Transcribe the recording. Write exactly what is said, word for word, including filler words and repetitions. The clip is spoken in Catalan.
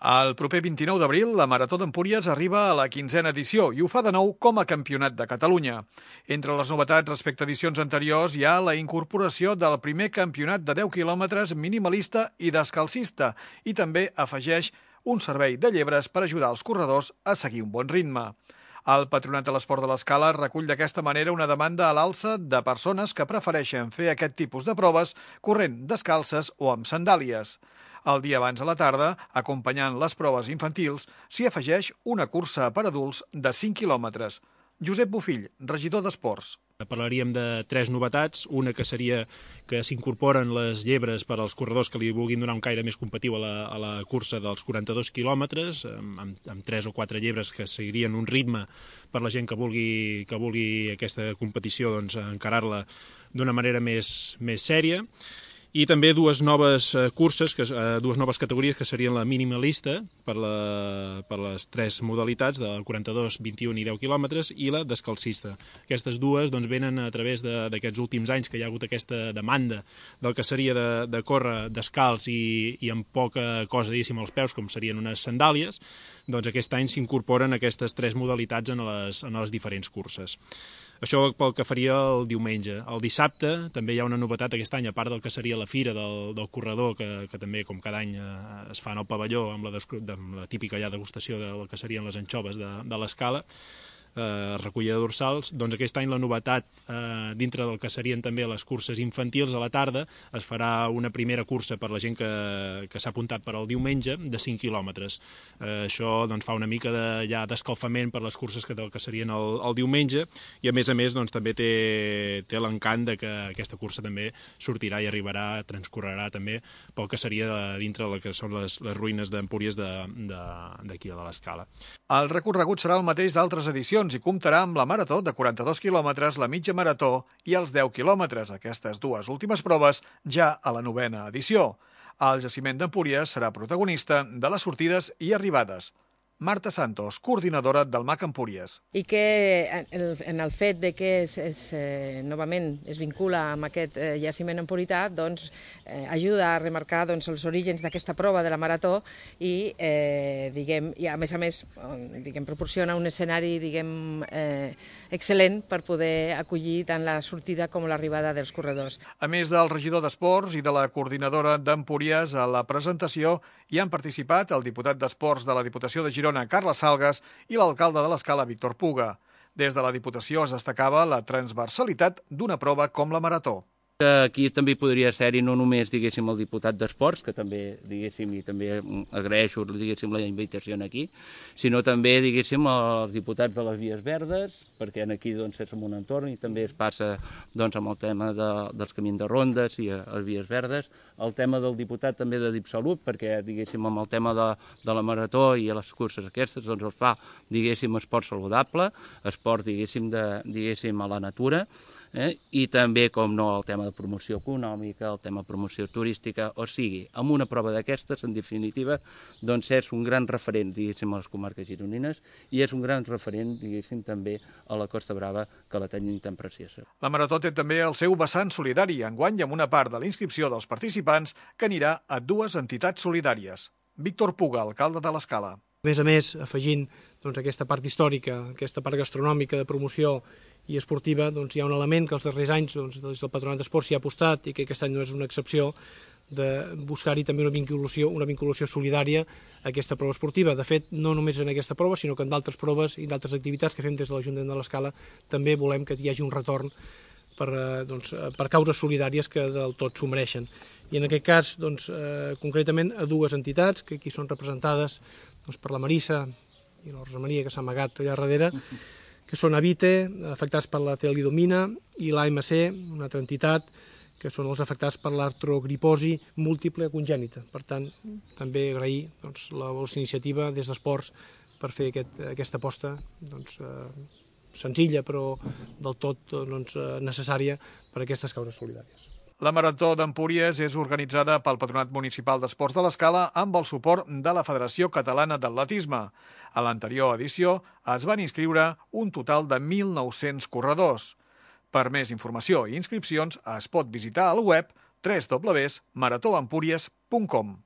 El proper vint-i-nou d'abril, la Marató d'Empúries arriba a la quinzena edició i ho fa de nou com a campionat de Catalunya. Entre les novetats respecte a edicions anteriors hi ha la incorporació del primer campionat de deu quilòmetres minimalista i descalcista i també afegeix un servei de llebres per ajudar els corredors a seguir un bon ritme. El Patronat de l'Esport de l'Escala recull d'aquesta manera una demanda a l'alça de persones que prefereixen fer aquest tipus de proves corrent descalces o amb sandàlies. El dia abans a la tarda, acompanyant les proves infantils, s'hi afegeix una cursa per adults de cinc quilòmetres. Josep Bofill, regidor d'Esports. Parlaríem de tres novetats, una que seria que s'incorporen les llebres per als corredors que li vulguin donar un caire més competitiu a la, a la cursa dels quaranta-dos quilòmetres, amb, amb tres o quatre llebres que seguirien un ritme per la gent que vulgui, que vulgui aquesta competició doncs, encarar-la d'una manera més, més sèria. I també dues noves curses, que, dues noves categories que serien la minimalista per, la, per les tres modalitats, del quaranta-dos, vint-i-un i deu quilòmetres, i la descalcista. Aquestes dues doncs, venen a través d'aquests últims anys que hi ha hagut aquesta demanda del que seria de, de córrer descalç i, i amb poca cosa, diguéssim, als peus, com serien unes sandàlies, doncs aquest any s'incorporen aquestes tres modalitats en les, en les diferents curses. Això pel que faria el diumenge. El dissabte també hi ha una novetat aquest any, a part del que seria la fira del, del corredor, que, que també, com cada any, eh, es fa en el pavelló amb la, amb la típica ja degustació del que serien les anxoves de, de l'Escala, eh, recollida de dorsals. Doncs aquest any la novetat, eh, dintre del que serien també les curses infantils, a la tarda es farà una primera cursa per la gent que, que s'ha apuntat per al diumenge de cinc quilòmetres. Eh, això doncs, fa una mica de, ja d'escalfament per les curses que, que serien el, el diumenge i a més a més doncs, també té, té l'encant de que aquesta cursa també sortirà i arribarà, transcorrerà també pel que seria de, dintre del que són les, les ruïnes d'Empúries d'aquí de, de, de l'Escala. El recorregut serà el mateix d'altres edicions i comptarà amb la marató de quaranta-dos quilòmetres, la mitja marató i els deu quilòmetres, aquestes dues últimes proves ja a la novena edició. El jaciment d'Empúries serà protagonista de les sortides i arribades. Marta Santos, coordinadora del M A C Empúries. I que en el fet de que es, es, eh, novament es vincula amb aquest eh, jaciment empurità, doncs, eh, ajuda a remarcar doncs, els orígens d'aquesta prova de la marató i, eh, diguem, i a més a més diguem, proporciona un escenari diguem, eh, excel·lent per poder acollir tant la sortida com l'arribada dels corredors. A més del regidor d'Esports i de la coordinadora d'Empúries, a la presentació hi han participat el diputat d'Esports de la Diputació de Girona, Carles Salgas, i l'alcalde de l'Escala, Víctor Puga. Des de la Diputació es destacava la transversalitat d'una prova com la marató. Aquí també podria ser-hi no només, diguéssim, el diputat d'Esports, que també, diguéssim, i també agraeixo, diguéssim, la invitació aquí, sinó també, diguéssim, els diputats de les Vies Verdes, perquè aquí, doncs, és en un entorn i també es passa, doncs, amb el tema de, dels camins de rondes i a, a les Vies Verdes, el tema del diputat també de DipSalut, perquè, diguéssim, amb el tema de, de la marató i a les curses aquestes, doncs, es fa, diguéssim, esport saludable, esport, diguéssim, de, diguéssim, a la natura, Eh? i també, com no, el tema de promoció econòmica, el tema de promoció turística, o sigui, amb una prova d'aquestes, en definitiva, doncs és un gran referent, diguéssim, a les comarques gironines i és un gran referent, diguéssim, també a la Costa Brava, que la tenim tan preciosa. La marató té també el seu vessant solidari, enguany amb una part de la inscripció dels participants que anirà a dues entitats solidàries. Víctor Puga, alcalde de l'Escala. A més a més, afegint doncs, aquesta part històrica, aquesta part gastronòmica de promoció i esportiva, doncs, hi ha un element que els darrers anys doncs, des del Patronat d'Esports s'hi ha apostat i que aquest any no és una excepció, de buscar-hi també una vinculació, una vinculació solidària a aquesta prova esportiva. De fet, no només en aquesta prova, sinó que en d'altres proves i d'altres activitats que fem des de l'Ajuntament de l'Escala també volem que hi hagi un retorn per, doncs, per causes solidàries que del tot s'ho mereixen. I en aquest cas, doncs, eh, concretament, a dues entitats que aquí són representades doncs, per la Marissa i la Rosa Maria, que s'ha amagat allà darrere, que són Avite, afectats per la telidomina, i l'A M C, una altra entitat, que són els afectats per l'artrogriposi múltiple congènita. Per tant, també agrair doncs, la vostra iniciativa des d'Esports per fer aquest, aquesta aposta doncs, eh, senzilla però del tot doncs, necessària per a aquestes causes solidàries. La Marató d'Empúries és organitzada pel Patronat Municipal d'Esports de l'Escala amb el suport de la Federació Catalana d'Atletisme. A l'anterior edició es van inscriure un total de mil nou-cents corredors. Per més informació i inscripcions es pot visitar al web w w w punt marató empúries punt com.